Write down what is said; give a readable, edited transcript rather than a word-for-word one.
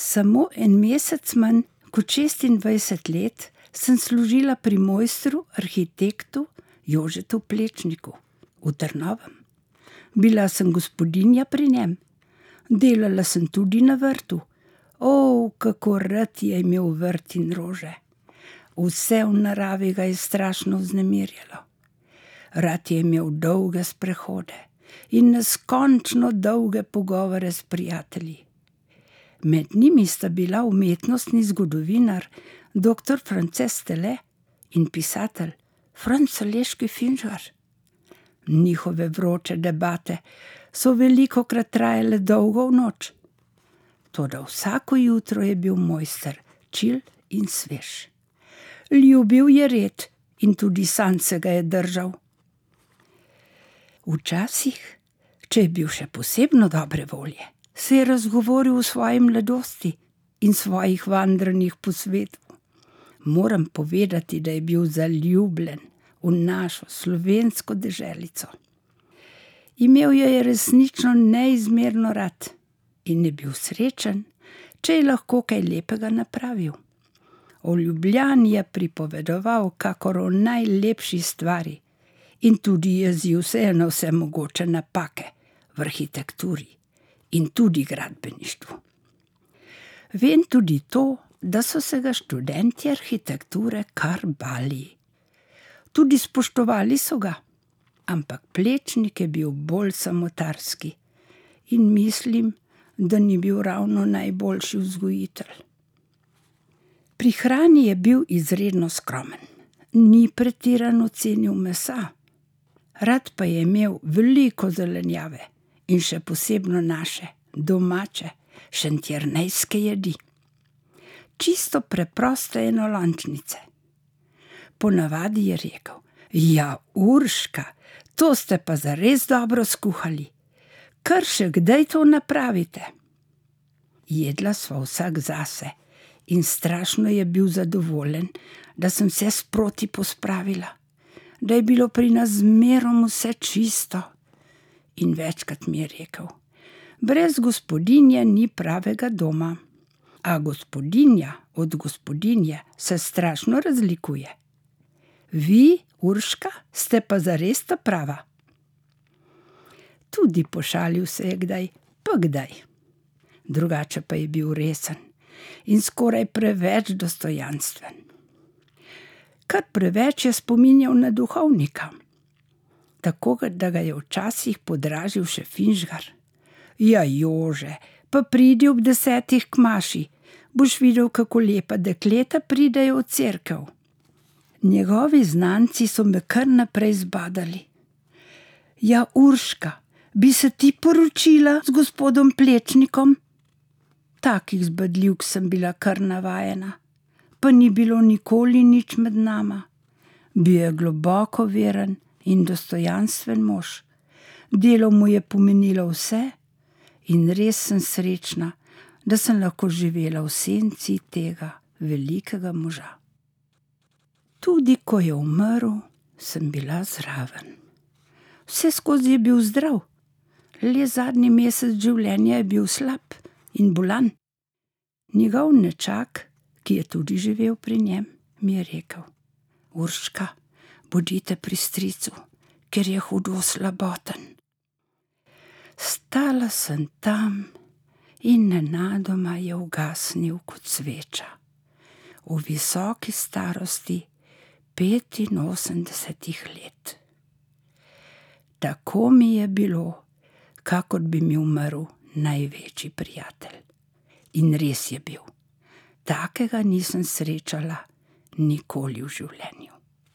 Samo en mesec manj kot 26 let sem služila pri mojstru, arhitektu Jožetu Plečniku v Trnovem. Bila sem gospodinja pri njem. Delala sem tudi na vrtu. Kako rad je imel vrt in rože. Vse v naravi ga je strašno vznemirjalo. Rad je imel dolge sprehode in neskončno dolge pogovore s prijatelji. Med njimi sta bila umetnostni zgodovinar dr. France Stele in pisatelj Franc Aleški Finžgar. Njihove vroče debate so velikokrat trajale dolgo v noč. Toda vsako jutro je bil mojster čil in svež. Ljubil je red in tudi sam se ga je držal. Včasih, če je bil še posebno dobre volje, se je razgovoril o svoji mladosti in svojih vandranjih po svetu. Moram povedati, da je bil zaljubljen v našo slovensko deželico. Imel jo je resnično neizmerno rad in je bil srečen, če je lahko kaj lepega napravil. O Ljubljani je pripovedoval kakor o najlepši stvari in tudi jezil se je na vse mogoče napake v arhitekturi in tudi gradbeništvu. Vem tudi to, da so se ga študentje arhitekture kar bali. Tudi spoštovali so ga, ampak Plečnik je bil bolj samotarski in mislim, da ni bil ravno najboljši vzgojitelj. Pri hrani je bil izredno skromen, ni pretirano cenil mesa, rad pa je imel veliko zelenjave in še posebno naše, domače, šentjernejske jedi. Čisto preproste enolončnice. Ponavadi je rekel: "Ja, Urška, to ste pa zares dobro skuhali. Kar še kdaj to napravite?" Jedla sva vsak zase in strašno je bil zadovoljen, da sem se sproti pospravila, da je bilo pri nas zmerom vse čisto. In večkrat mi je rekel: "Brez gospodinje ni pravega doma." A gospodinja od gospodinje se strašno razlikuje. Vi, Urška, ste pa zares ta prava. Tudi pošalil se je kdaj, pa kdaj. Drugače pa je bil resen in skoraj preveč dostojanstven. Kar preveč je spominjal na duhovnika. Tako, da ga je včasih podražil še Finžgar. "Ja, Jože, pa pridi ob 10 k maši, boš videl, kako lepa dekleta pridejo v cerkev." Njegovi znanci so me kar naprej zbadali. "Ja, Urška, bi se ti poročila z gospodom Plečnikom?" Takih zbadljivk sem bila kar navajena, pa ni bilo nikoli nič med nama. Bil je globoko veren in dostojanstven mož. Delo mu je pomenilo vse in res sem srečna, da sem lahko živela v senci tega velikega moža. Tudi ko je umrl, sem bila zraven. Vseskozi je bil zdrav, le zadnji mesec življenja je bil slab in bolan. Njegov nečak, ki je tudi živel pri njem, mi je rekel: "Urška, bodite pri stricu, ker je hudo slaboten." Stala sem tam in nenadoma je ugasnil kot sveča. V visoki starosti 85 let. Tako mi je bilo, kakor bi mi umrl največji prijatelj. In res je bil. Takega nisem srečala nikoli v življenju.